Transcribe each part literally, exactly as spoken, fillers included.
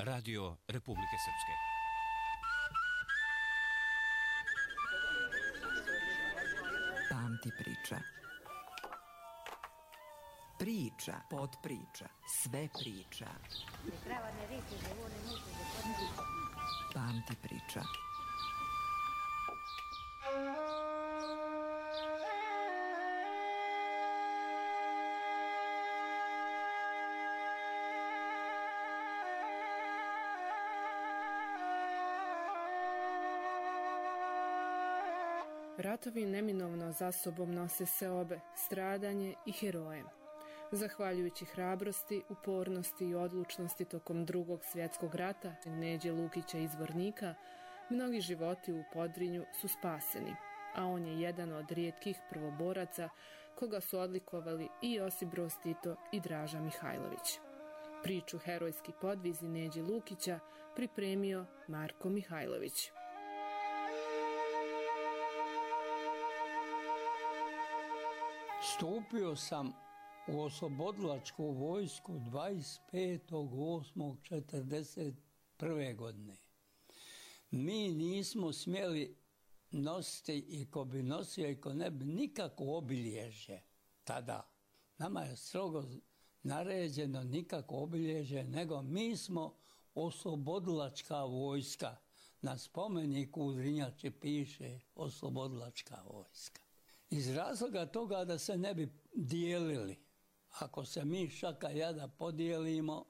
Radio Republike Srpske. Pamti priča. Priča, podpriča, sve priča. Pamti priča. Ratovi neminovno za sobom nose seobe, stradanje i heroje. Zahvaljujući hrabrosti, upornosti i odlučnosti tokom drugog svjetskog rata Neđe Lukića iz Zvornika, mnogi životi u Podrinju su spaseni, a on je jedan od rijetkih prvoboraca koga su odlikovali i Josip Broz Tito i Draža Mihajlović. Priču Herojski podvizi Neđe Lukića pripremio Marko Mihajlović. Stupio sam u oslobodilačku vojsku dvadeset petog osmog četrdeset prve godine. Mi nismo smjeli nositi, i ko bi nosio i ko ne bi, nikako obilježje tada. Nama je strogo naređeno nikako obilježje, nego mi smo oslobodilačka vojska. Na spomeniku u Drinjači piše oslobodilačka vojska. Iz razloga toga da se ne bi dijelili. Ako se mi šaka jada podijelimo,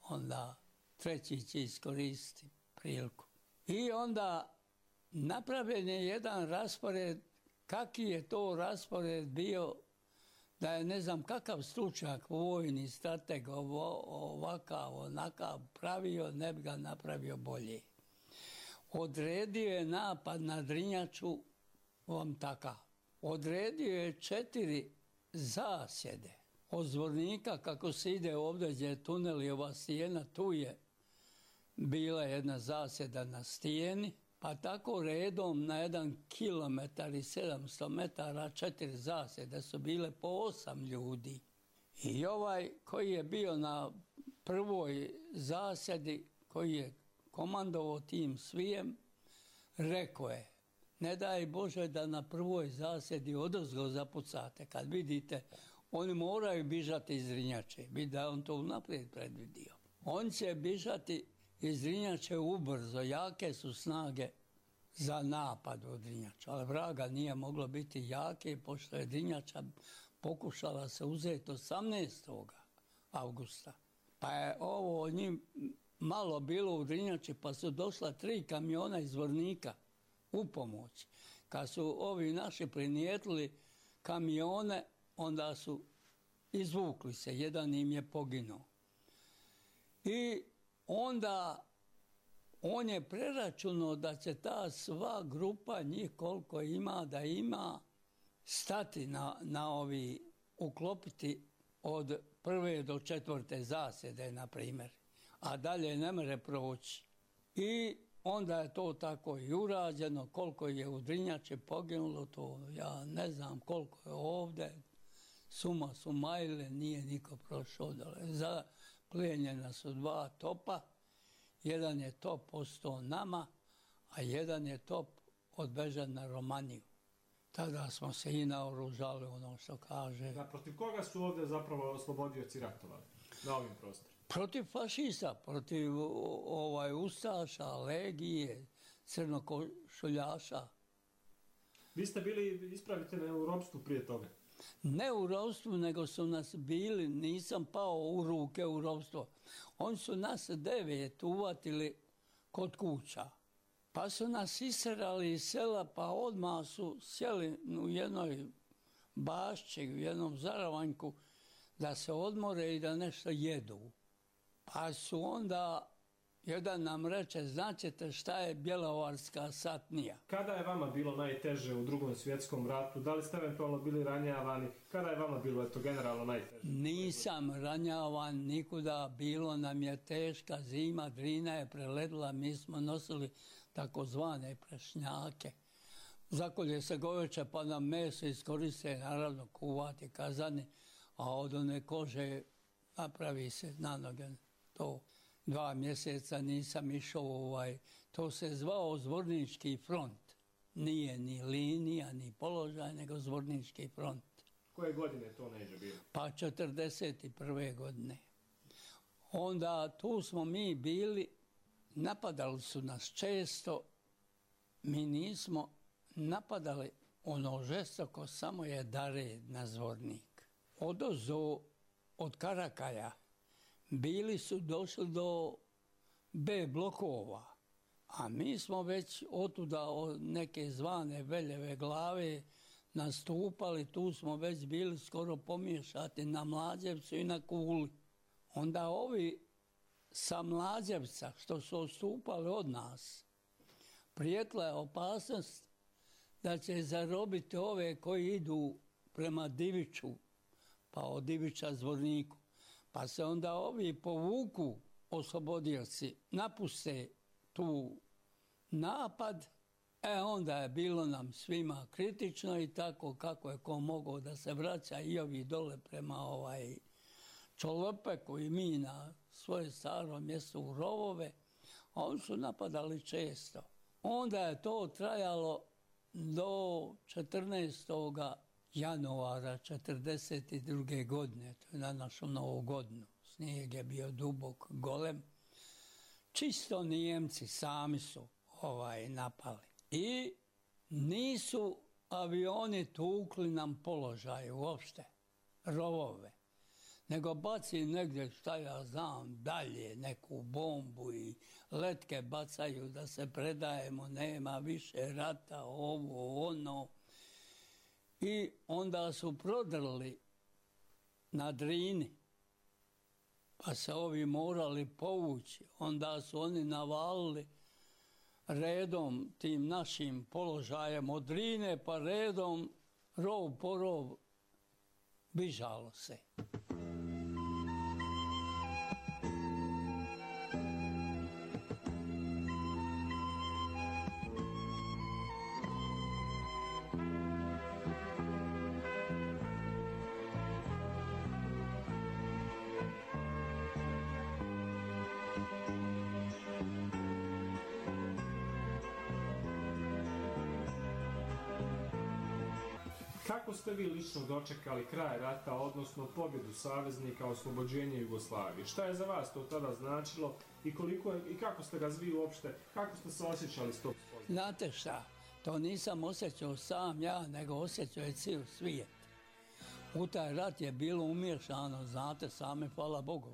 onda treći će iskoristiti priliku. I onda napravljen je jedan raspored, kakvi je to raspored bio, da je ne znam kakav stručnjak, vojni strateg, ovakav, onakav pravio, ne bi ga napravio bolje. Odredio je napad na Drinjaču vam takav. Odredio je četiri zasjede. Od Zvornika, kako se ide ovdje gdje je tunel i ova stijena, tu je bila jedna zasjeda na stijeni, pa tako redom na jedan kilometar i sedamsto metara četiri zasjede su bile po osam ljudi. I ovaj koji je bio na prvoj zasjedi, koji je komandovao tim svijem, rekao je: ne daj Bože da na prvoj zasjedi odozgo zapucate. Kad vidite, oni moraju bižati iz Drinjače. Bi da on to unaprijed predvidio. On će bižati iz Drinjače ubrzo. Jake su snage za napad u Drinjaču. Ali vraga nije moglo biti jake, pošto je Drinjača pokušala se uzeti osamnaestog avgusta. Pa je ovo njim malo bilo u Drinjači, pa su došla tri kamiona iz Zvornika u pomoć. Kad su ovi naši prinijetili kamione, onda su izvukli se, jedan im je poginuo. I onda on je preračunao da će ta sva grupa, njih koliko ima, da ima, stati na, na ovi, uklopiti od prve do četvrte zasjede, na primjer, a dalje ne može proći. I onda je to tako i urađeno. Koliko je u Drinjači poginulo, to ja ne znam, koliko je ovdje. Suma sumajle, nije niko prošao dole. Zaplijenjena su dva topa. Jedan je top ostao nama, a jedan je top odbežan na Romaniju. Tada smo se i naoružali, ono što kaže. Da, protiv koga su ovdje zapravo oslobodioci ratovali na ovim prostorima? Protiv fašista, protiv ovaj, ustaša, legije, crnokošuljaša. Vi ste bili, ispravite me, u ropstvu prije toga? Ne u ropstvu, nego su nas bili, nisam pao u ruke u ropstvo. Oni su nas devet uvatili kod kuća. Pa su nas iserali iz sela, pa odmah su sjeli u jednoj bašći, u jednom zaravanjku, da se odmore i da nešto jedu. Pa su onda, jedan nam reče, značite šta je bjelovarska satnija. Kada je vama bilo najteže u drugom svjetskom ratu? Da li ste eventualno bili ranjavani? Kada je vama bilo, eto, generalno najteže? Nisam ranjavan nikuda, bilo nam je teška zima, Drina je preledila, mi smo nosili takozvane prešnjake. Zakolje se goveče pa nam meso iskoriste, naravno kuvati kazani, a od one kože napravi se na noge to. dva mjeseca nisam išao, ovaj, to se zvao Zvornički front. Nije ni linija, ni položaj, nego Zvornički front. Koje godine to Neđo bilo? Pa četrdeset prve godine. Onda tu smo mi bili, napadali su nas često, mi nismo napadali ono žestoko, samo je Dared na Zvornik. Odozdo od Karakaja bili su došli do B blokova, a mi smo već otuda od neke zvane Veljeve glave nastupali, tu smo već bili skoro pomiješati na Mlađevcu i na Kuli. Onda ovi sa Mlađevca što su odstupali od nas, prijetla je opasnost da će zarobiti ove koji idu prema Diviću, pa od Divića Zvorniku. Pa se onda ovi povuku oslobodioci, napuste tu napad, e onda je bilo nam svima kritično i tako kako je ko mogao da se vraća i ovi dole prema ovaj Čolopeku i mi na svoje staro mjesto u Rovove, a oni su napadali često. Onda je to trajalo do četrnaestog januara četrdeset druge godine, to je na našu novu godinu. Snijeg je bio dubok, golem. Čisto Nijemci sami su ovaj napali. I nisu avioni tukli nam položaj uopšte, Rovove, nego baci negdje, šta ja znam, dalje neku bombu i letke bacaju da se predajemo, nema više rata, ovo, ono. I onda su prodrli na Drini, pa se ovi morali povući. Onda su oni navalili redom tim našim položajem od Drine, pa redom rov po rov bižalo se. Kako ste vi lično dočekali kraj rata, odnosno pobjedu saveznika, oslobođenje Jugoslavije? Šta je za vas to tada značilo i koliko je, i kako ste ga vi uopšte, kako ste se osjećali s tog spoznaja? Znate šta, to nisam osjećao sam ja, nego osjećao je cijel svijet. U taj rat je bilo umiješano, znate same, hvala Bogu.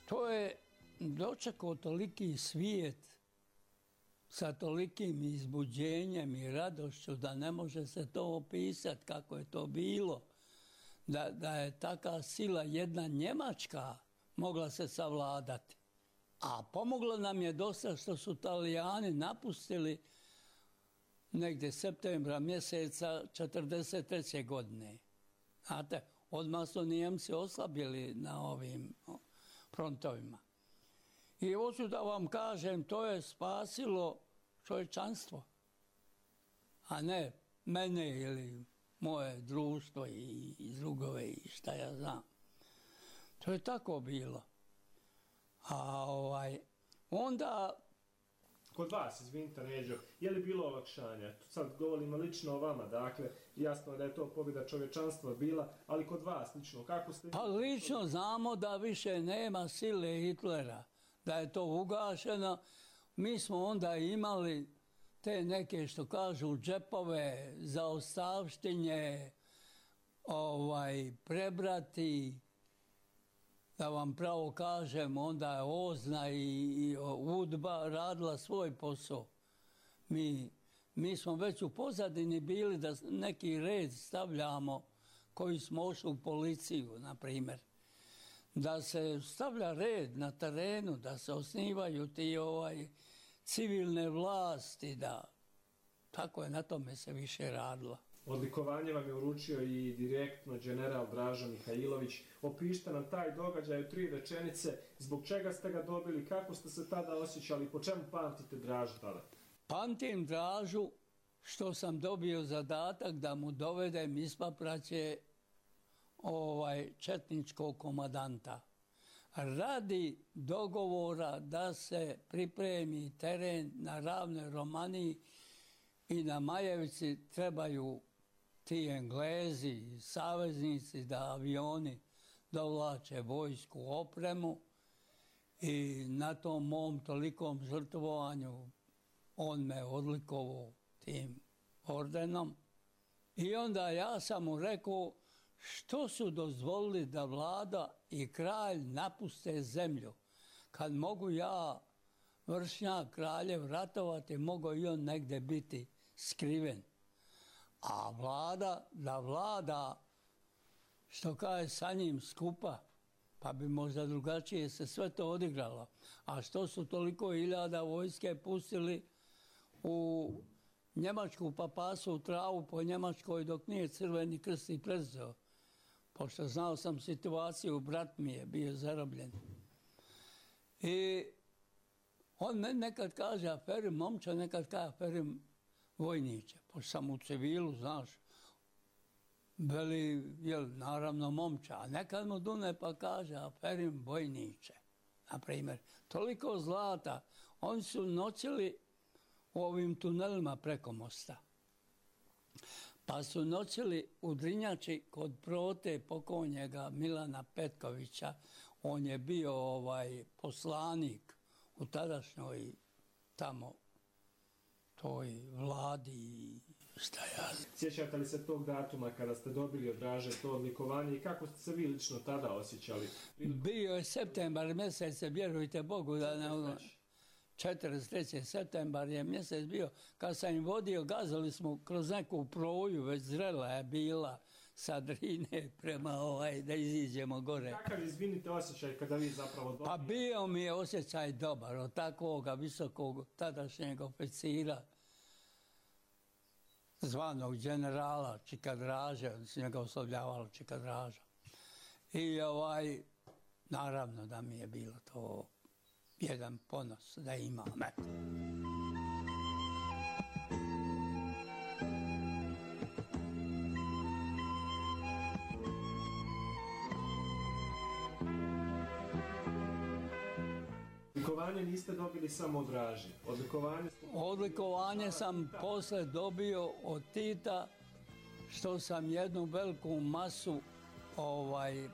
To je dočekao toliki svijet sa tolikim izbuđenjem i radošću da ne može se to opisati kako je to bilo. Da, da je taka sila jedna Njemačka mogla se savladati. A pomoglo nam je dosta što su Talijani napustili negdje septembra mjeseca četrdeset treće godine. Znate, odmah su Nijemci oslabili na ovim frontovima. I hoću da vam kažem, to je spasilo čovječanstvo, a ne mene ili moje društvo i, i drugove i šta ja znam. To je tako bilo. A ovaj, onda... Kod vas, izvinite Neđo, je li bilo olakšanja? Sad govorimo lično o vama, dakle, jasno je da je to pobjeda čovječanstva bila, ali kod vas lično, kako ste... Pa lično znamo da više nema sile Hitlera, da je to ugašeno. Mi smo onda imali te neke, što kažu, džepove za ostavštinje, ovaj, prebrati, da vam pravo kažem, onda je Ozna i, i Udba radila svoj posao. Mi, mi smo već u pozadini bili da neki red stavljamo koji smo ošli u policiju, na primjer. Da se stavlja red na terenu, da se osnivaju ti ovaj, civilne vlasti, da tako je, na tome se više radilo. Odlikovanje vam je uručio i direktno general Draža Mihajlović. Opišite nam taj događaj u tri rečenice, zbog čega ste ga dobili, kako ste se tada osjećali, po čemu pamtite Dražu tada? Pamtim Dražu što sam dobio zadatak da mu dovedem ispapraće ovaj četničkog komadanta radi dogovora da se pripremi teren na Ravnoj Romaniji i na Majevici trebaju ti Englezi, saveznici, da avioni dovlače vojsku, opremu i na tom mom tolikom žrtvovanju on me odlikovao tim ordenom. I onda ja sam mu rekao što su dozvolili da vlada i kralj napuste zemlju. Kad mogu ja, vršnjak kraljev, ratovati, mogu i on negdje biti skriven. A vlada, da vlada, što kaže, sa njim skupa, pa bi možda drugačije se sve to odigralo. A što su toliko hiljada vojske pustili u Njemačku, pa pasu u travu po Njemačkoj dok nije Crveni krst i prezeo. Pošto znao sam situaciju, brat mi je bio zarobljen. I on meni nekad kaže aferim momče, nekad kaže aferim vojniče. Pošto sam u civilu, znaš, veli, jel, naravno momča, a nekad mu dune pa kaže aferim vojniče. Naprimjer, toliko zlata, oni su noćili u ovim tunelima preko mosta. Pa su noćili u Drinjači kod Prote pokojnjega Milana Petkovića. On je bio ovaj poslanik u tadašnjoj tamo toj vladi. Šta ja... Sjećate li se tog datuma kada ste dobili od Draže to odlikovanje i kako ste se vi lično tada osjećali? Bio je septembar mjesec, vjerujte Bogu da ne... četrdeset treći septembar je mjesec bio, kad sam im vodio, gazali smo kroz neku proju, već zrela je bila sa Drine prema ovaj, da iziđemo gore. Kakav, izvinite, osjećaj kada vi zapravo dobili? Pa bio mi je osjećaj dobar od takvog visokog tadašnjeg oficira, zvanog generala Čika Draže, on se njega oslovljavalo Čika Draža. I ovaj, naravno da mi je bilo to jedan ponos da imam. Eto. Odlikovanje niste dobili samo od Draže. Odlikovanje, Odlikovanje sam posle dobio od Tita, što sam jednu veliku masu ovaj,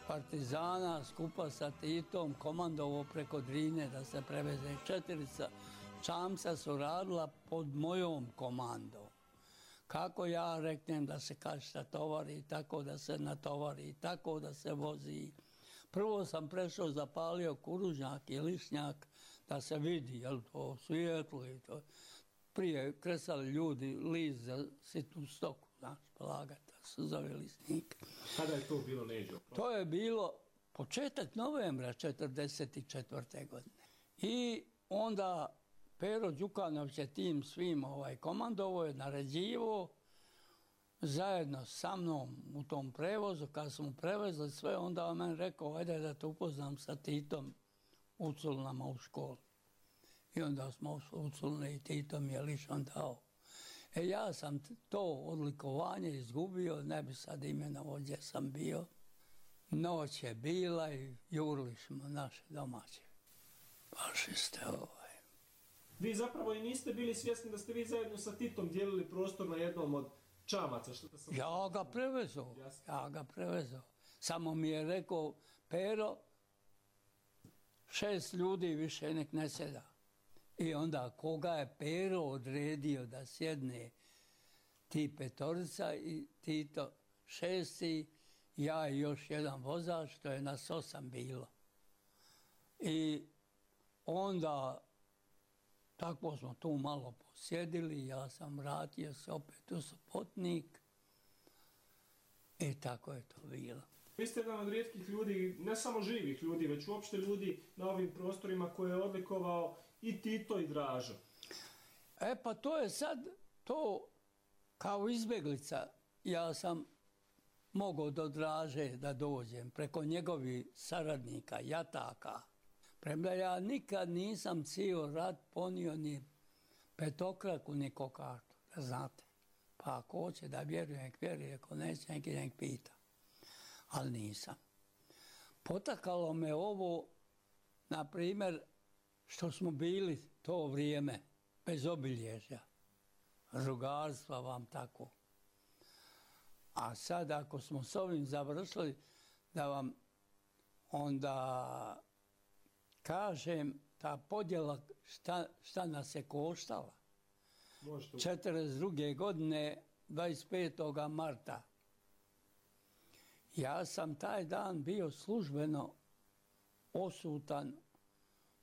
partizana skupa sa Titom komandovo preko Drine da se preveze. Četirica čamca su radila pod mojom komandom. Kako ja reknem da se kašta tovari, tako da se natovari, tako da se vozi. Prvo sam prešao, zapalio kuružnjak i lišnjak da se vidi, jel to svijetlo i to. Prije kresali ljudi list za sitnu stoku, znaš, polagati, da su zove listnik. Kada je to bilo, Neđo? To je bilo početak novembra četrdeset četvrte godine. I onda Pero Đukanović je tim svim ovaj, komandovo je naređivo zajedno sa mnom u tom prevozu. Kad smo prevezli sve, onda on meni rekao, ajde da te upoznam sa Titom u Culnama u školi. I onda smo u Culne i Tito mi je lično dao. E ja sam to odlikovanje izgubio, ne bi sad imenovao gdje sam bio. Noć je bila i jurili smo naše domaće fašiste ovaj. Vi zapravo i niste bili svjesni da ste vi zajedno sa Titom dijelili prostor na jednom od čamaca. Što sam... Ja ga prevezao, ja ga prevezao. Samo mi je rekao, Pero, šest ljudi više nek ne sjeda. I onda koga je Pero odredio da sjedne, ti petorica i Tito šesti, ja i još jedan vozač, to je nas osam bilo. I onda tako smo tu malo posjedili, ja sam vratio se opet u Sopotnik i tako je to bilo. Vi ste jedan od rijetkih ljudi, ne samo živih ljudi, već uopšte ljudi na ovim prostorima koje je odlikovao i Tito i Dražo. E pa to je sad, to kao izbjeglica, ja sam mogao do Draže da dođem preko njegovih saradnika, jataka. Premda ja nikad nisam cijel rat ponio ni petokraku, ni kokartu, da znate. Pa ako hoće da vjeruje, nek vjeruje, ako neće, nek nek pita. Ali nisam. Potakalo me ovo, na primjer, što smo bili to vrijeme bez obilježja, rugarstva vam tako. A sad ako smo s ovim završili, da vam onda kažem ta podjela šta, šta nas je koštala. Možete... četrdeset druge godine, dvadeset petog marta. Ja sam taj dan bio službeno osutan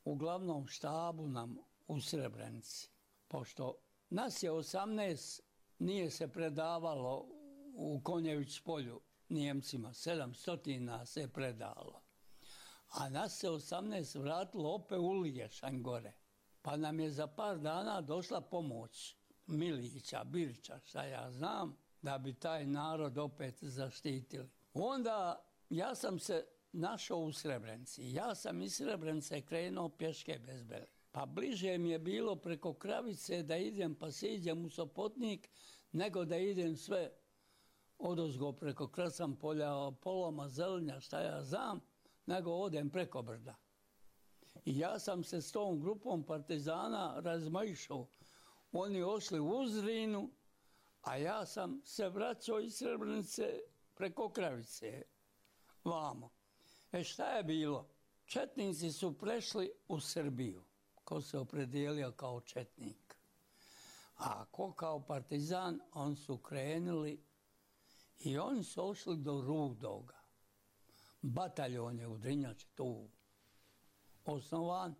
u glavnom štabu nam u Srebrenici. Pošto nas je osamnaest, nije se predavalo u Konjević polju Nijemcima, sedamsto nas je predalo. A nas se osamnaest vratilo opet u Liješanj gore. Pa nam je za par dana došla pomoć Milića, Birića, šta ja znam, da bi taj narod opet zaštitili. Onda ja sam se našao u Srebrenici. Ja sam iz Srebrenice krenuo pješke bez bele. Pa bliže mi je bilo preko Kravice da idem pa siđem u Sopotnik, nego da idem sve odozgo preko Krasan polja, Poloma, Zelenja, šta ja znam, nego odem preko brda. I ja sam se s tom grupom partizana razmaišao. Oni ošli u Uzrinu, a ja sam se vraćao iz Srebrenice preko Kravice, vamo. E šta je bilo? Četnici su prešli u Srbiju, ko se opredijelio kao četnik. A ko kao partizan, on su krenuli i oni su ošli do Rudoga. Bataljon je u Drinjači tu osnovan.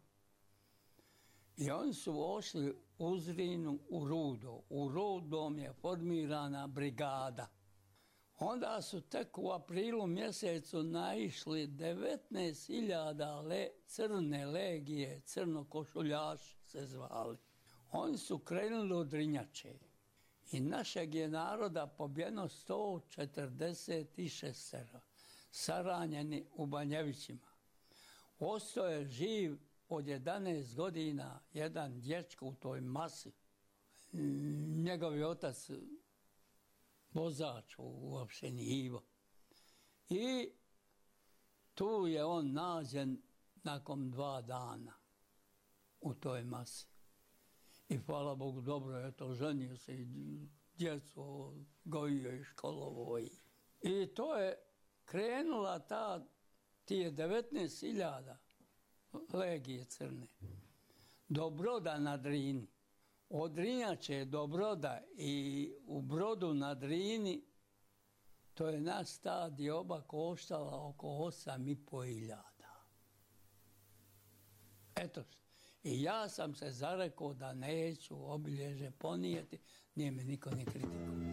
I oni su ošli u Zrinu u Rudo. U Rudom je formirana brigada. Onda su tek u aprilu mjesecu naišli devetnaest hiljada le, crne legije, crnokošuljaši se zvali. Oni su krenuli od Drinjače i našeg je naroda pobijeno sto četrdeset šest, saranjeni u Banjevićima. Ostao je živ od jedanaest godina jedan dječko u toj masi. Njegovi otac vozač u opštini Ivo. I tu je on nađen nakon dva dana u toj masi. I hvala Bogu, dobro je to, ženio se i djecu gojio i školovo. I to je krenula ta, tije devetnaest hiljada legije crne do Broda na Drini. Od Drinjače do Broda i u Brodu na Drini to je nas ta dioba koštala oko osam i po hiljada. Eto, i ja sam se zarekao da neću obilježe ponijeti, nije me niko ni kritikovao.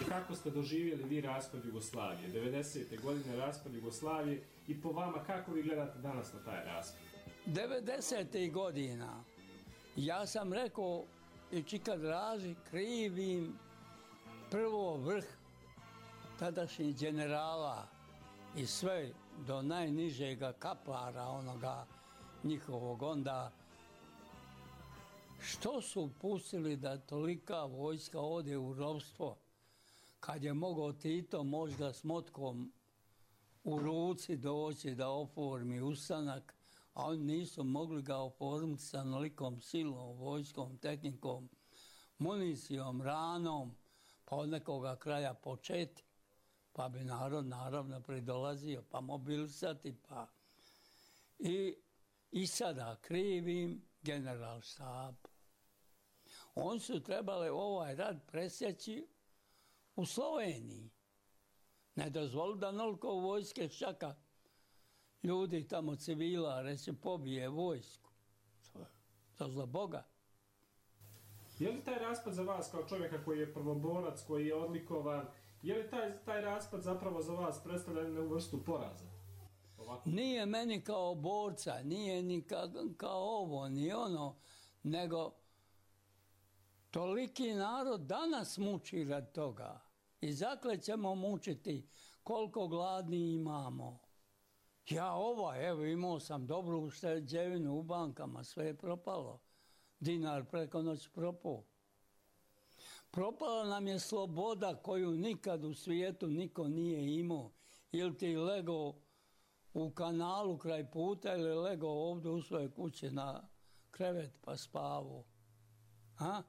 Kako ste doživjeli vi raspad Jugoslavije? devedesete godine raspad Jugoslavije i po vama kako vi gledate danas na taj raspad? devedesetih godina ja sam rekao i Čika Draži krivim prvo vrh tadašnjih generala i sve do najnižega kaplara onoga njihovog onda. Što su pustili da tolika vojska ode u ropstvo? Kad je mogao Tito možda s motkom u ruci doći da oformi ustanak, a oni nisu mogli ga oformiti sa nolikom silom, vojskom, tehnikom, municijom, ranom, pa od nekoga kraja početi, pa bi narod naravno pridolazio, pa mobilisati, pa... I, i sada krivim generalštab. Oni su trebali ovaj rad presjeći u Sloveniji. Ne dozvoli da noliko vojske šaka. ljudi tamo civila, reći pobije vojsku. To, to za Boga. Je li taj raspad za vas kao čovjeka koji je prvoborac, koji je odlikovan, je li taj, taj raspad zapravo za vas predstavlja jednu vrstu poraza? Ovako. Nije meni kao borca, nije ni ka, kao ovo, ni ono, nego toliki narod danas muči rad toga. I zakle ćemo mučiti koliko gladni imamo. Ja ovaj, evo imao sam dobru ušteđevinu u bankama, sve je propalo. Dinar preko noći propao. Propala nam je sloboda koju nikad u svijetu niko nije imao. Ili ti lego u kanalu kraj puta ili lego ovdje u svojoj kući na krevet pa spavu. A?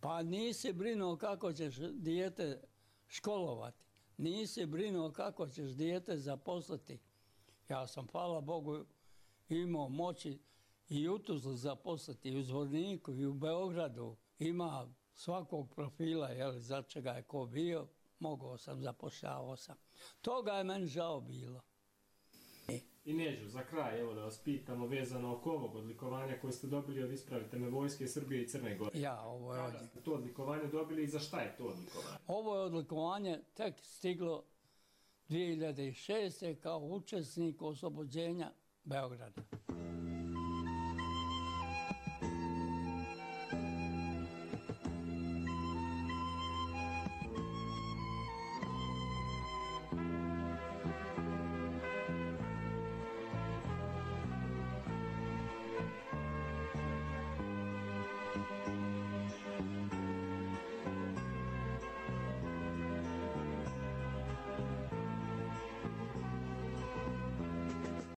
Pa nisi brinuo kako ćeš dijete školovati. Nisi brinuo kako ćeš dijete zaposliti. Ja sam, hvala Bogu, imao moći i u Tuzli zaposliti, i u Zvorniku, i u Beogradu. Ima svakog profila, jel, za čega je ko bio, mogao sam, zapošljavao sam. Toga je meni žao bilo. I Neđo, za kraj, evo da vas pitamo vezano oko ovog odlikovanja koje ste dobili od, ispravite me, Vojske Srbije i Crne Gore. Ja, ovo je Kada od... ste to odlikovanje dobili i za šta je to odlikovanje? Ovo je odlikovanje tek stiglo dvije hiljade šeste kao učesnik oslobođenja Beograda.